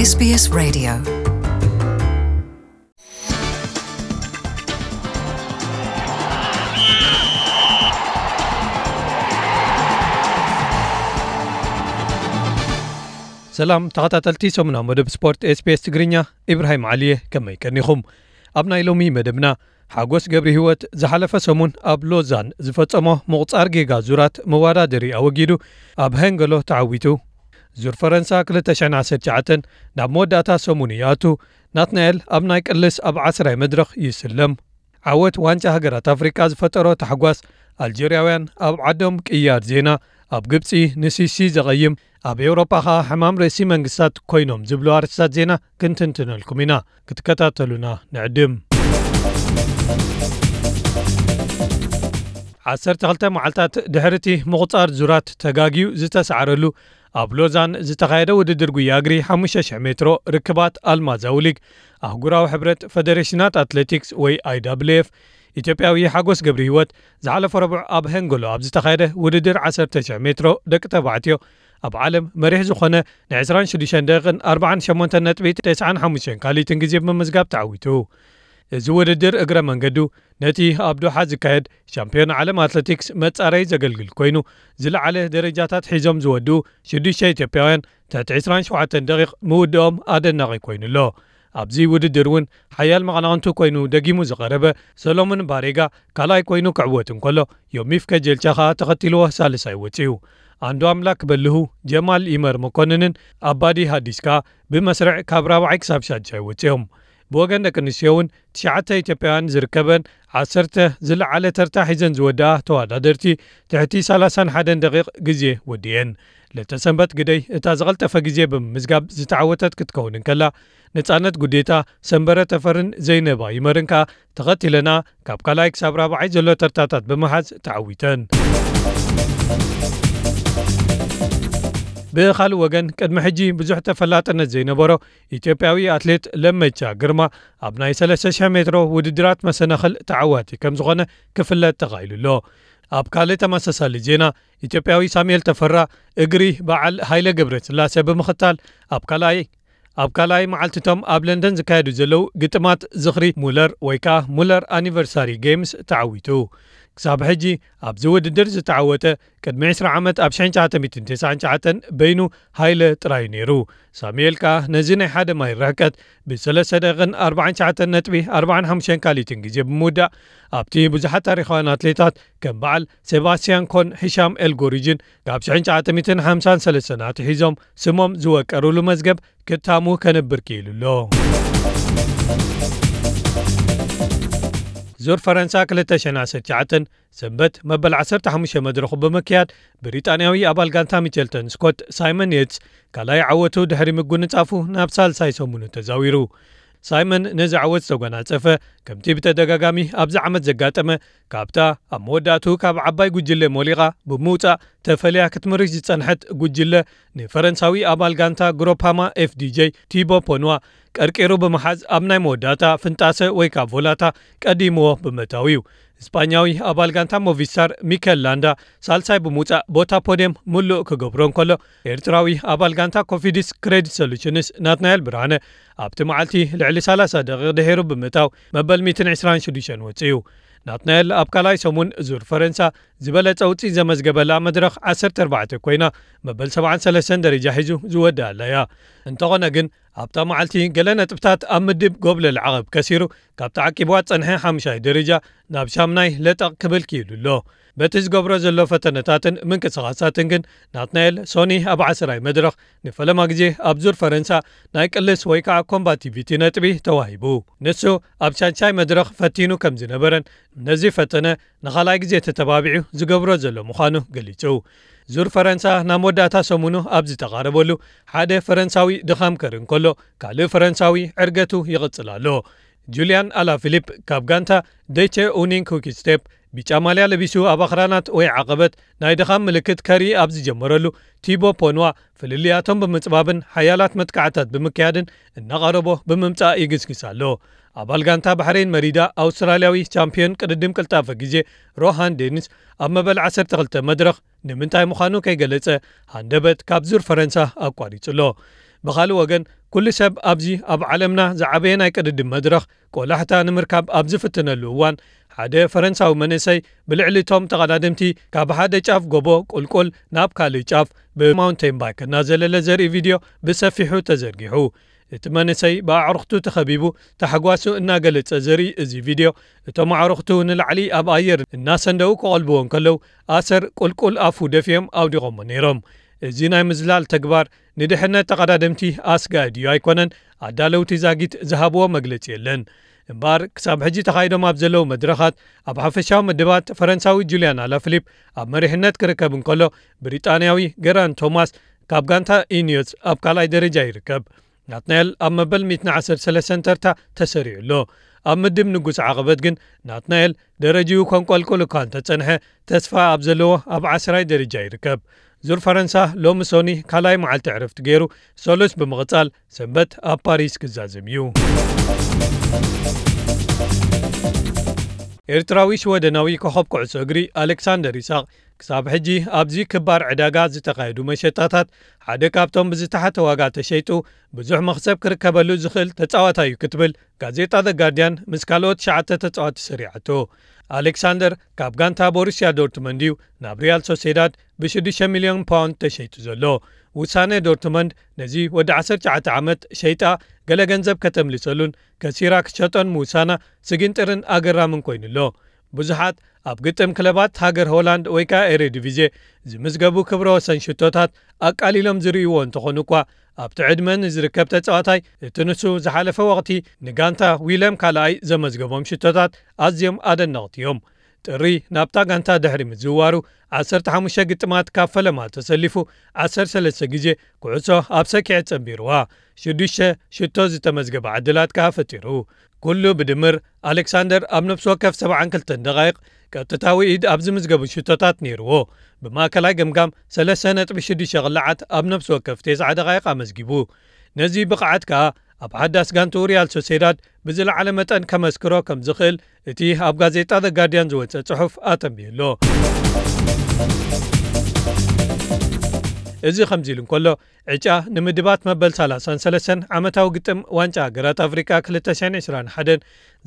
SBS Radio. ሰላም ተኸታተልቲ ሰሙናዊ መደብ ስፖርት ኤስቢኤስ ትግርኛ፣ ኢብራሂም ዓሊየ፣ ከመይ ቀኒኹም? ኣብ ናይ ሎሚ መደብና፣ ሓጎስ ገብሪ ህይወት ዝሓለፈ ሰሙን ኣብ ሎዛን ዝፈጸሞ ምቑጻር ጌጋ ዙራት መወዳደሪ ኣወጊዱ ኣብ ሄንገሎ ተዓዊቱ። ዙር ፈረንሳ ክልተ ሽሕን ዓሰርተ ትሽዓተን ናብ መወዳእታ ሰሙን ይኣቱ። ናትናኤል ኣብ ናይ ቅልስ ኣብ ዓስራይ መድረኽ ይስለም። ዓወት ዋንጫ ሃገራት ኣፍሪቃ ዝፈጠሮ ታሕጓስ ኣልጀርያውያን ኣብ ዓዶም ቅያር ዜና፣ ኣብ ግብጺ ንሲሲ ዘቐይም፣ ኣብ ኤውሮጳ ኸኣ ሕማም ርእሲ መንግስታት ኮይኖም ዝብሉ ኣርእስታት ዜና ክንትንትነልኩም ኢና። ክትከታተሉና ንዕድም። ዓሰርተ ክልተ መዓልታት ድሕሪ እቲ ምቑጻር ዙራት ተጋግዩ ዝተሳዕረሉ ኣብ ሎዛን ዝተኻየደ ውድድር ጉያ እግሪ ሓሙሽተ ሽሕ ሜትሮ ርክባት ኣልማዛዊ ሊግ ኣህጉራዊ ሕብረት ፈደሬሽናት ኣትሌቲክስ ወይ ኣይዳብልኤፍ ኢትዮጵያዊ ሓጎስ ገብሪ ህይወት ዝሓለፈ ረቡዕ ኣብ ሄንጎሎ ኣብ ዝተኻየደ ውድድር ዓሰርተ ሽሕ ሜትሮ ደቂ ተባዕትዮ ኣብ ዓለም መሪሕ ዝኾነ ን ዕስራን ሽዱሽተን ደቂቕን ኣርባዓን ሸሞንተን ነጥቢ ተስዓን ሓሙሽተን ካልኢትን ግዜ ብምምዝጋብ ተዓዊቱ። እዚ ውድድር እግረ መንገዱ ነቲ ኣብ ዶሓ ዝካየድ ሻምፒዮን ዓለም ኣትሌቲክስ መጻረዪ ዘገልግል ኮይኑ፣ ዝለዓለ ደረጃታት ሒዞም ዝወድኡ ሽዱሽተ ኢትዮጵያውያን ትሕቲ ዕስራን ሸውዓተን ደቂቕ ምውድኦም ኣደናቒ ኮይኑ ኣሎ። ኣብዚ ውድድር እውን ሓያል መቐናቕንቱ ኮይኑ ደጊሙ ዝቐረበ ሰሎሞን ባሬጋ ካልኣይ ኮይኑ ክዕወት እንከሎ፣ ዮሚፍ ከጀልቻ ኸኣ ተኸቲልዎ ሳልሳይ ወጺኡ። ኣንዱ ኣምላክ በልሁ፣ ጀማል ይመር መኮንንን ኣባዲ ሃዲስ ከኣ ብመስርዕ ካብ ራብዓይ ክሳብ ሻድሻይ ወጺኦም። ብወገን ደቂ ኣንስትዮ እውን ትሽዓተ ኢትዮጵያውያን ዝርከበን ዓሰርተ ዝለዓለ ተርታ ሒዘን ዝወድኣ ተወዳደርቲ ትሕቲ ሰላሳን ሓደን ደቂቕ ግዜ ወዲኤን። ለተሰንበት ግደይ እታ ዝቐልጠፈ ግዜ ብምምዝጋብ ዝተዓወተት ክትከውን እንከላ፣ ነጻነት ጉዴታ፣ ሰንበረ ተፈርን ዘይነባ ይመርን ከኣ ተኸቲለና ካብ ካልኣይ ክሳብ ራብዓይ ዘሎ ተርታታት ብምሓዝ ተዓዊተን። ብኻልእ ወገን፣ ቅድሚ ሕጂ ብዙሕ ተፈላጥነት ዘይነበሮ ኢትዮጵያዊ ኣትሌት ለመቻ ግርማ ኣብ ናይ ሰለስተ ሽሕ ሜትሮ ውድድራት መሰናኽል ተዓዋቲ ከም ዝኾነ ክፍለጥ ተኻኢሉ ኣሎ። ኣብ ካልእ ተመሳሳሊ ዜና፣ ኢትዮጵያዊ ሳሙኤል ተፈራ እግሪ በዓል ሃይለ ገብረስላሴ ብምኽታል ኣብ ካልኣይ ኣብ ካልኣይ መዓልትቶም ኣብ ለንደን ዝካየዱ ዘለዉ ግጥማት ዝኽሪ ሙለር ወይ ከኣ ሙለር ኣኒቨርሳሪ ጌምስ ተዓዊቱ። ክሳብ ሕጂ ኣብዚ ውድድር ዝተዓወተ ቅድሚ ዕስራ ዓመት ኣብ ሽሕን ትሽዓተ ሚእትን ተስዓን ትሽዓተን በይኑ ሃይለ ጥራይ ነይሩ። ሳሙኤል ከኣ ነዚ ናይ ሓደ ማይል ርሕቀት ብሰለስተ ደቂቕን ኣርባዓን ትሽዓተን ነጥቢ ኣርባዓን ሓሙሽተን ካልኢትን ግዜ ብምውዳእ ኣብቲ ብዙሓት ታሪኻውያን ኣትሌታት ከም በዓል ሴባስቲያን ኮን፣ ሂሻም ኤልጎሪጅን ካብ ሽሕን ትሽዓተ ሚእትን ሓምሳን ሰለስተን ኣትሒዞም ስሞም ዝወቀሩሉ መዝገብ ክታሙ ከንብር ክኢሉ ኣሎ። ዙር ፈረንሳ ክልተ ሽሕን ዓሰርተ ትሽዓተን ሰንበት መበል ዓሰርተ ሓሙሽተ መድረኹ ብምክያድ፣ ብሪጣንያዊ ኣባል ጋንታ ሚቸልተን ስኮት ሳይመን የትስ ካልኣይ ዓወቱ ድሕሪ ምጉንጻፉ ናብ ሳልሳይ ሰሙኑ ተዛዊሩ። ሳይመን ነዚ ዓወት ዝተጎናጸፈ፣ ከምቲ ብተደጋጋሚ ኣብዚ ዓመት ዘጋጠመ፣ ካብታ ኣብ መወዳእቱ ካብ ዓባይ ጉጅለ ሞሊቓ ብምውጻእ ተፈልያ ክትምርሽ ዝጸንሐት ጉጅለ፣ ንፈረንሳዊ ኣባል ጋንታ ግሮፓማ ኤፍዲጄ ቲቦ ፖንዋ ቀርቂሩ ብምሓዝ ኣብ ናይ መወዳእታ ፍንጣሰ ወይ ካብ ቮላታ ቀዲምዎ ብምእታው እዩ። ስጳኛዊ ኣባል ጋንታ ሞቪስታር ሚከል ላንዳ ሳልሳይ ብምውጻእ ቦታ ፖድየም ምሉእ ክገብሮ እንከሎ፣ ኤርትራዊ ኣባል ጋንታ ኮፊዲስ ክሬዲት ሶሉሽንስ ናትናኤል ብርሃነ ኣብቲ መዓልቲ ልዕሊ ሰላሳ ደቂቕ ድሒሩ ብምእታው መበል ሚእትን ዕስራን ሽዱሽተን ወጺኡ። ናትናኤል ኣብ ካልኣይ ሰሙን ዙር ፈረንሳ ዝበለጸ ውጽኢት ዘመዝገበላ መድረኽ ዓሰርተ ኣርባዕተ ኮይና፣ መበል ሰብዓን ሰለስተን ደረጃ ሒዙ ዝወደኣላ እያ። እንተኾነ ግን፣ ኣብታ መዓልቲ ገለ ነጥብታት ኣብ ምድብ ጎብለል ዓቐብ ከሲሩ፣ ካብ ተዓቂብዋ ዝጸንሐ ሓምሻይ ደረጃ ናብ ሻምናይ ለጠቕ ክብል ክኢሉ ኣሎ። በቲ ዝገብሮ ዘሎ ፈተነታትን ምንቅስቓሳትን ግን፣ ናትናኤል ሶኒ ኣብ ዓስራይ መድረኽ ንፈለማ ግዜ ኣብ ዙር ፈረንሳ ናይ ቅልስ ወይ ከዓ ኮምባቲቪቲ ነጥቢ ተዋሂቡ። ንሱ ኣብ ሻድሻይ መድረኽ ፈቲኑ ከም ዝነበረን ነዚ ፈተነ ንኻልኣይ ግዜ ተተባቢዑ ዝገብሮ ዘሎ ምዃኑ ገሊጹ። ዙር ፈረንሳ ናብ መወዳእታ ሰሙኑ ኣብ ዝተቓረበሉ፣ ሓደ ፈረንሳዊ ድኻም ከርኢ እንከሎ፣ ካልእ ፈረንሳዊ ዕርገቱ ይቕጽል ኣሎ። ጁልያን ኣላፊሊፕ ካብ ጋንታ ደይቸ ኡኒንግ ኩኪስቴፕ ቢጫ ማልያ ለቢሱ ኣብ ኣኽራናት ወይ ዓቐበት ናይ ድኻም ምልክት ከርኢ ኣብ ዝጀመረሉ፣ ቲቦ ፖንዋ ፍልልያቶም ብምጽባብን ሓያላት መጥቃዕታት ብምክያድን እናቐረቦ ብምምጻእ ይግስግስ ኣሎ። ኣባል ጋንታ ባሕሬን መሪዳ ኣውስትራልያዊ ቻምፒዮን ቅድድም ቅልጣፈ ግዜ ሮሃን ዴኒስ ኣብ መበል ዓሰርተ ክልተ መድረኽ ንምንታይ ምዃኑ ከይገለጸ ሃንደበት ካብ ዙር ፈረንሳ ኣቋሪጹ ኣሎ። ብኻልእ ወገን፣ ኩሉ ሰብ ኣብዚ ኣብ ዓለምና ዝዓበየ ናይ ቅድድም መድረኽ ቆላሕታ ንምርካብ ኣብ ዝፍትነሉ እዋን፣ ሓደ ፈረንሳዊ መንእሰይ ብልዕሊ እቶም ተቐዳደምቲ ካብ ሓደ ጫፍ ጎቦ ቁልቁል ናብ ካልእ ጫፍ ብማውንቴን ባይክ እናዘለለ ዘርኢ ቪድዮ ብሰፊሑ ተዘርጊሑ። እቲ መንእሰይ ብኣዕሩኽቱ ተኸቢቡ ታሕጓሱ እናገለጸ ዘርኢ እዚ ቪድዮ፣ እቶም ኣዕሩኽቱ ንላዕሊ ኣብ ኣየር እናሰንደኡ ክቐልብዎ እንከለዉ፣ ኣሰር ቁልቁል ኣፉ ደፊኦም ኣውዲቖሞ ነይሮም። እዚ ናይ ምዝላል ተግባር ንድሕነት ተቐዳደምቲ ኣስጋኢ ድዩ ኣይኮነን፣ ኣዳለውቲ ዛጊት ዝሃብዎ መግለጺ የለን። እምበኣር፣ ክሳብ ሕጂ ተኻይዶም ኣብ ዘለዉ መድረኻት፣ ኣብ ሓፈሻዊ ምድባት ፈረንሳዊ ጁልያን ኣላፍሊፕ ኣብ መሪሕነት ክርከብ እንከሎ፣ ብሪጣንያዊ ገራን ቶማስ ካብ ጋንታ ኢኒዮስ ኣብ ካልኣይ ደረጃ ይርከብ። ናትናኤል ኣብ መበል ሚእትን ዓሰርተ ሰለስተን ተርታ ተሰሪዑ ኣሎ። ኣብ ምድብ ንጉስ ዓቐበት ግን ናትናኤል ደረጅኡ ከንቆልቁል እኳ እንተጸንሐ፣ ተስፋ ኣብ ዘለዎ ኣብ ዓስራይ ደረጃ ይርከብ። ዙር ፈረንሳ ሎሚ ሶኒ ካልኣይ መዓልቲ ዕረፍቲ ገይሩ፣ ሰሉስ ብምቕጻል ሰንበት ኣብ ፓሪስ ክዛዘም እዩ። ኤርትራዊ ሽወደናዊ ኮኸብ ኩዕሶ እግሪ ኣሌክሳንደር ይስሐቅ ክሳብ ሕጂ ኣብዚ ክባር ዕዳጋ ዝተኻየዱ መሸጣታት ሓደ ካብቶም ብዝተሓተ ዋጋ ተሸይጡ ብዙሕ መኽሰብ ክርከበሉ ዝኽእል ተጻዋታይ እዩ ክትብል ጋዜጣ ዘ ጋርዲያን ምስ ካልኦት ትሽዓተ ተጻወትቲ ሰሪዓቶ። ኣሌክሳንደር ካብ ጋንታ ቦሩስያ ዶርትመንድ እዩ ናብ ሪያል ሶሴዳድ ብሽዱሽተ ሚልዮን ፓውንድ ተሸይጡ ዘሎ። ውሳነ ዶርትመንድ ነዚ ወዲ ዓሰርተ ትሽዓተ ዓመት ሸይጣ ገለ ገንዘብ ከተምልሰሉን ከሲራ ክትሸጦን ምውሳና ስጊንጥርን ኣገራምን ኮይኑ ኣሎ። ብዙሓት ኣብ ግጥም ክለባት ሃገር ሆላንድ ወይ ከኣ ኤሬዲቪዜ ዝምዝገቡ ክብረ ወሰን ሽቶታት ኣቃሊሎም ዝርእይዎ እንተኾኑ እኳ፣ ኣብቲ ዕድመ ንዝርከብ ተጻዋታይ እቲ ንሱ ዝሓለፈ ወቕቲ ንጋንታ ዊለም ካልኣይ ዘመዝገቦም ሽቶታት ኣዝዮም ኣደነቕቲ እዮም። ጥሪ ናብታ ጋንታ ድሕሪ ምዝውዋሩ ዓሰርተ ሓሙሽተ ግጥማት ካብ ፈለማ ተሰሊፉ ዓሰርተ ሰለስተ ግዜ ኩዕሶ ኣብ ሰኪዐት ጸንቢርዋ። ሽዱሽተ ሽቶ ዝተመዝገበ ዕድላት ከኣ ፈጢሩ። ኩሉ ብድምር ኣሌክሳንደር ኣብ ነፍሲ ወከፍ ሰብዓን ክልተን ደቓይቕ ቀጥታዊ ኢድ ኣብ ዝምዝገቡ ሽቶታት ነይርዎ። ብማእከላይ ገምጋም ሰለስተ ነጥቢ ሽዱሽተ ቅላዓት ኣብ ነፍሲ ወከፍ ተስዓ ደቓይቕ ኣመዝጊቡ። ነዚ ብቕዓት ከኣ ኣብ ሓዳስ ጋንትኡ ሪያል ሶሴዳድ ብዝለዓለ መጠን ከመስክሮ ከም ዝኽእል እቲ ኣብ ጋዜጣ ዘ ጋርዲያን ዝወጸ ጽሑፍ ኣተንብዩ ኣሎ። እዚ ከምዚ ኢሉ እንከሎ፣ ዕጫ ንምድባት መበል ሰላሳን ሰለስተን ዓመታዊ ግጥም ዋንጫ ሃገራት ኣፍሪቃ ክልተ ሽሕን ዕስራን ሓደን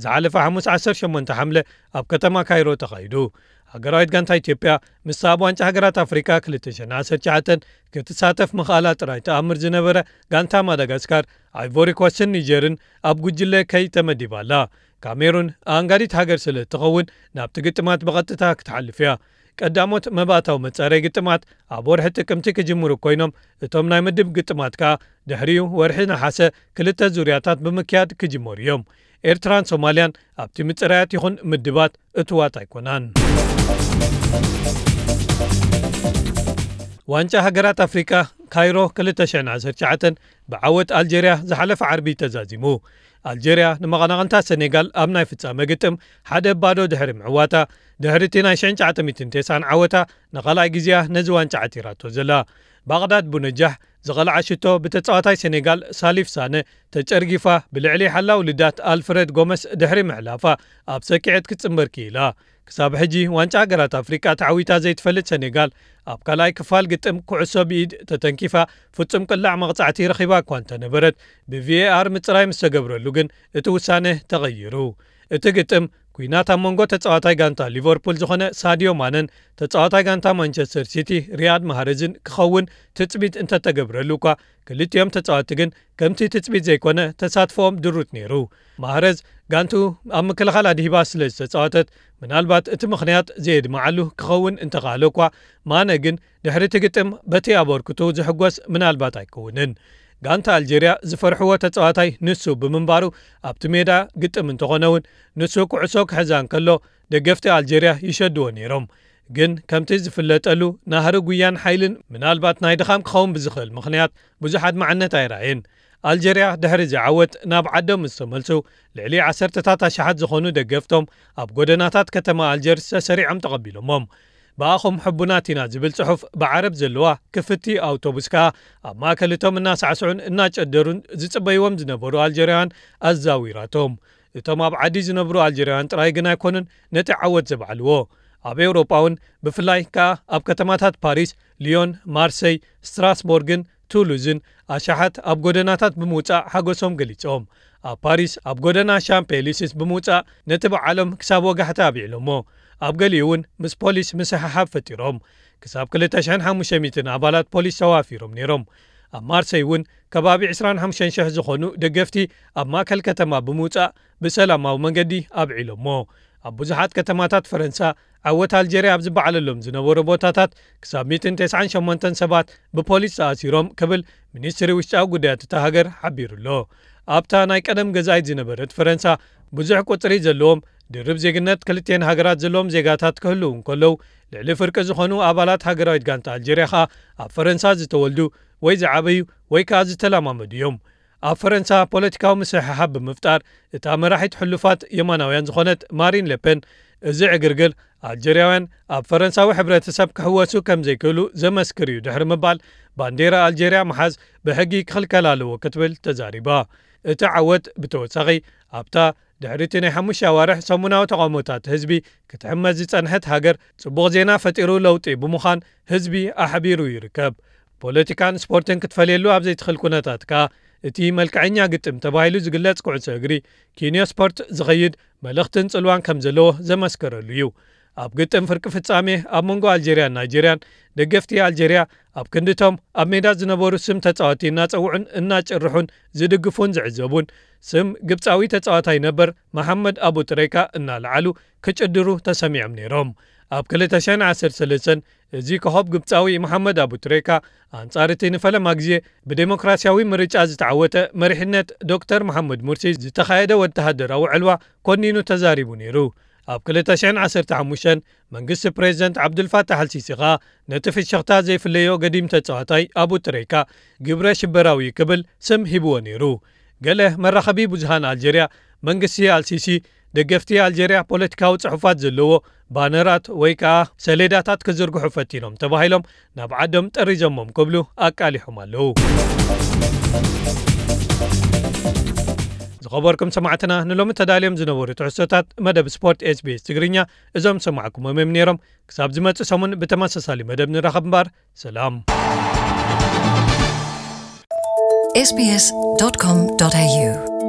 ዝሓለፈ ሓሙስ ዓሰርተ ሸሞንተ ሓምለ ኣብ ከተማ ካይሮ ተኻይዱ። ሃገራዊት ጋንታ ኢትዮጵያ ምስታ ኣብ ዋንጫ ሃገራት ኣፍሪቃ ክልተ ሽሕን ዓሰርተ ትሽዓተን ክትሳተፍ ምኽኣላ ጥራይ ተኣምር ዝነበረ ጋንታ ማዳጋስካር፣ ኣይቮሪ ኮስትን ኒጀርን ኣብ ጉጅለ ከይ ተመዲባ ኣላ። ካሜሩን ኣንጋዲት ሃገር ስለ እትኸውን ናብቲ ግጥማት ብቐጥታ ክትሓልፍ እያ። ቀዳሞት መባእታዊ መጻረይ ግጥማት ኣብ ወርሒ ጥቅምቲ ክጅምሩ ኮይኖም፣ እቶም ናይ ምድብ ግጥማት ከኣ ድሕሪኡ ወርሒ ነሓሰ ክልተ ዙርያታት ብምክያድ ክጅመሩ እዮም። ኤርትራን ሶማልያን ኣብቲ ምጽራያት ይኹን ምድባት እትዋት ኣይኮናን። ዋንጫ ሃገራት ኣፍሪቃ ካይሮ ክልተ ሽሕን ዓሰርተ ትሽዓተን ብዓወት ኣልጀርያ ዝሓለፈ ዓርቢ ተዛዚሙ። ኣልጀርያ ንመቐናቕንታ ሰኔጋል ኣብ ናይ ፍጻመ ግጥም ሓደ ባዶ ድሕሪ ምዕዋታ፣ ድሕሪ እቲ ናይ ሽሕን ትሽዓተ ሚእትን ተስዓን ዓወታ ንኻልኣይ ግዜያ ነዚ ዋንጫ ዓቲራቶ ዘላ። ባቕዳድ ቡነጃሕ ዝቐልዓ ሽቶ ብተጻዋታይ ሴኔጋል ሳሊፍ ሳነ ተጨርጊፋ ብልዕሊ ሓላው ልዳት ኣልፍረድ ጎመስ ድሕሪ ምሕላፋ ኣብ ሰኪዐት ክትጽንበር ክኢላ። ክሳብ ሕጂ ዋንጫ ሃገራት ኣፍሪቃ ተዓዊታ ዘይትፈልጥ ሰኔጋል ኣብ ካልኣይ ክፋል ግጥም ኩዕሶ ብኢድ ተተንኪፋ ፍጹም ቅላዕ መቕጻዕቲ ረኺባ እኳ እንተነበረት ብቪኤኣር ምጽራይ ምስ ተገብረሉ ግን እቲ ውሳነ ተቐይሩ። እቲ ግጥም ኲናት ኣብ መንጎ ተጻዋታይ ጋንታ ሊቨርፑል ዝኾነ ሳድዮ ማነን ተጻዋታይ ጋንታ ማንቸስተር ሲቲ ሪያድ ማህረዝን ክኸውን ትጽቢት እንተተገብረሉ እኳ ክልቲኦም ተጻወትቲ ግን ከምቲ ትጽቢት ዘይኮነ ተሳትፎኦም ድሩት ነይሩ። ማህረዝ ጋንትኡ ኣብ ምክልኻል ኣድሂባ ስለ ዝተጻወተት ምናልባት እቲ ምኽንያት ዘየድምዓሉ ክኸውን እንተኻለ እኳ ማነ ግን ድሕሪ እቲ ግጥም በቲ ኣበርክቱ ዝሕጎስ ምናልባት ኣይከውንን። ጋንታ ኣልጀርያ ዝፈርሕዎ ተጻዋታይ ንሱ ብምንባሩ ኣብቲ ሜዳ ግጥም እንተኾነ እውን ንሱ ኩዕሶ ክሕዛ እንከሎ ደገፍቲ ኣልጀርያ ይሸድዎ ነይሮም። ግን ከምቲ ዝፍለጠሉ ናህሪ ጉያን ሓይልን ምናልባት ናይ ድኻም ክኸውን ብዝኽእል ምኽንያት ብዙሕ ኣድማዕነት ኣይረኣየን። ኣልጀርያ ድሕሪ እዚ ዓወት ናብ ዓዶም ምስ ተመልሱ ልዕሊ ዓሰርተታት ኣሽሓት ዝኾኑ ደገፍቶም ኣብ ጎደናታት ከተማ ኣልጀርስ ተሰሪዖም ተቐቢሎሞም። ብኣኹም ሕቡናት ኢና ዝብል ጽሑፍ ብዓረብ ዘለዋ ክፍቲ ኣውቶቡስ ከኣ ኣብ ማእከል እቶም እናሳዕስዑን እናጨደሩን ዝጽበይዎም ዝነበሩ ኣልጀርያውያን ኣዛዊራቶም። እቶም ኣብ ዓዲ ዝነብሩ ኣልጀርያውያን ጥራይ ግን ኣይኮኑን ነቲ ዓወት ዘብዓልዎ። ኣብ ኤውሮጳ እውን ብፍላይ ከኣ ኣብ ከተማታት ፓሪስ፣ ሊዮን፣ ማርሰይ፣ ስትራስቦርግን ቱሉዝን ኣሽሓት ኣብ ጎደናታት ብምውጻእ ሓጎሶም ገሊጾም። ኣብ ፓሪስ ኣብ ጎደና ሻምፕ ኤሊሲስ ብምውጻእ ነቲ በዓሎም ክሳብ ወጋሕታ ኣብዒሎሞ። ኣብ ገሊኡ እውን ምስ ፖሊስ ምስሕሓብ ፈጢሮም። ክሳብ ክልተ ሽሕን ሓሙሽተ ሚእትን ኣባላት ፖሊስ ተዋፊሮም ነይሮም። ኣብ ማርሰይ እውን ከባቢ ዕስራን ሓሙሽተን ሽሕ ዝኾኑ ደገፍቲ ኣብ ማእከል ከተማ ብምውጻእ ብሰላማዊ መንገዲ ኣብዒሎሞ። ኣብ ብዙሓት ከተማታት ፈረንሳ ዓወት ኣልጀርያ ኣብ ዝበዓለሎም ዝነበሩ ቦታታት ክሳብ ሚእትን ተስዓን ሸሞንተን ሰባት ብፖሊስ ተኣሲሮም ክብል ሚኒስትሪ ውሽጣዊ ጉዳያት እታ ሃገር ሓቢሩ ኣሎ። ኣብታ ናይ ቀደም ገዛኢት ዝነበረት ፈረንሳ ብዙሕ ቁጽሪ ዘለዎም ድርብ ዜግነት ክልቲኤን ሃገራት ዘለዎም ዜጋታት ክህልዉ እንከለዉ፣ ልዕሊ ፍርቂ ዝኾኑ ኣባላት ሃገራዊት ጋንታ ኣልጀርያ ከኣ ኣብ ፈረንሳ ዝተወልዱ ወይ ዝዓበዩ ወይ ከኣ ዝተለማመዱ እዮም። ኣብ ፈረንሳ ፖለቲካዊ ምስሕሓብ ብምፍጣር እታ መራሒት ሕሉፋት የማናውያን ዝኾነት ማሪን ለፔን፣ እዚ ዕግርግር ኣልጀርያውያን ኣብ ፈረንሳዊ ሕብረተሰብ ክሕወሱ ከም ዘይክእሉ ዘመስክር እዩ ድሕሪ ምባል፣ ባንዴራ ኣልጀርያ ምሓዝ ብሕጊ ክኽልከል ኣለዎ ክትብል ተዛሪባ። እቲ ዓወት ብተወሳኺ ኣብታ ድሕሪ እቲ ናይ ሓሙሽተ ኣዋርሕ ሰሙናዊ ተቓውሞታት ህዝቢ ክትሕመስ ዝጸንሐት ሃገር ጽቡቕ ዜና ፈጢሩ ለውጢ ብምዃን ህዝቢ ኣሕቢሩ ይርከብ። ፖለቲካን ስፖርትን ክትፈልየሉ ኣብ ዘይትኽእል ኩነታት ከኣ እቲ መልክዐኛ ግጥም ተባሂሉ ዝግለጽ ኩዕሶ እግሪ ኪንዮ ስፖርት ዝኸይድ መልእኽትን ጽልዋን ከም ዘለዎ ዘመስከረሉ እዩ። ኣብ ግጥም ፍርቂ ፍጻሜ ኣብ መንጎ ኣልጀርያን ናይጀርያን ደገፍቲ ኣልጀርያ ኣብ ክንድቶም ኣብ ሜዳ ዝነበሩ ስም ተጻወቲ እናጸውዑን እናጭርሑን ዝድግፉን ዝዕዘቡን ስም ግብጻዊ ተጻዋታይ ነበር መሓመድ ኣቡ ትረይካ እናለዓሉ ክጭድሩ ተሰሚዖም ነይሮም። ኣብ ክልተ ሽሕን ዓሰርተ ሰለስተን እዚ ኮኾብ ግብጻዊ መሓመድ ኣቡ ትረይካ ኣንጻር እቲ ንፈለማ ግዜ ብዴሞክራሲያዊ ምርጫ ዝተዓወተ መሪሕነት ዶክተር መሓመድ ሙርሲ ዝተኻየደ ወተሃደራዊ ዕልዋ ኮኒኑ ተዛሪቡ ነይሩ። ኣብ ክልተ ሽሕን ዓሰርተ ሓሙሽተን መንግስቲ ፕሬዚደንት ዓብዱልፋታሕ ኣልሲሲ ኸኣ ነቲ ፍሽኽታ ዘይፍለዮ ገዲም ተጻዋታይ ኣቡ ትረይካ ግብረ ሽበራዊ ክብል ስም ሂብዎ ነይሩ። ገለ መራኸቢ ብዙሃን ኣልጀርያ መንግስቲ ኣልሲሲ ደገፍቲ ኣልጀርያ ፖለቲካዊ ጽሑፋት ዘለዎ ባነራት ወይ ከኣ ሰሌዳታት ክዝርግሑ ፈቲኖም ተባሂሎም ናብ ዓዶም ጠሪዞሞም ክብሉ ኣቃሊሖም ኣለዉ። ዝኸበርኩም ሰማዕትና፣ ንሎሚ ተዳልዮም ዝነበሩ ትሕዝቶታት መደብ ስፖርት ኤስቢኤስ ትግርኛ እዞም ሰማዕኩሞም እዮም ነይሮም። ክሳብ ዝመጽእ ሰሙን ብተመሳሳሊ መደብ ንራኸብ እምበር፣ ሰላም። ኤስቢኤስ ዶት ኮም ዶት ኤዩ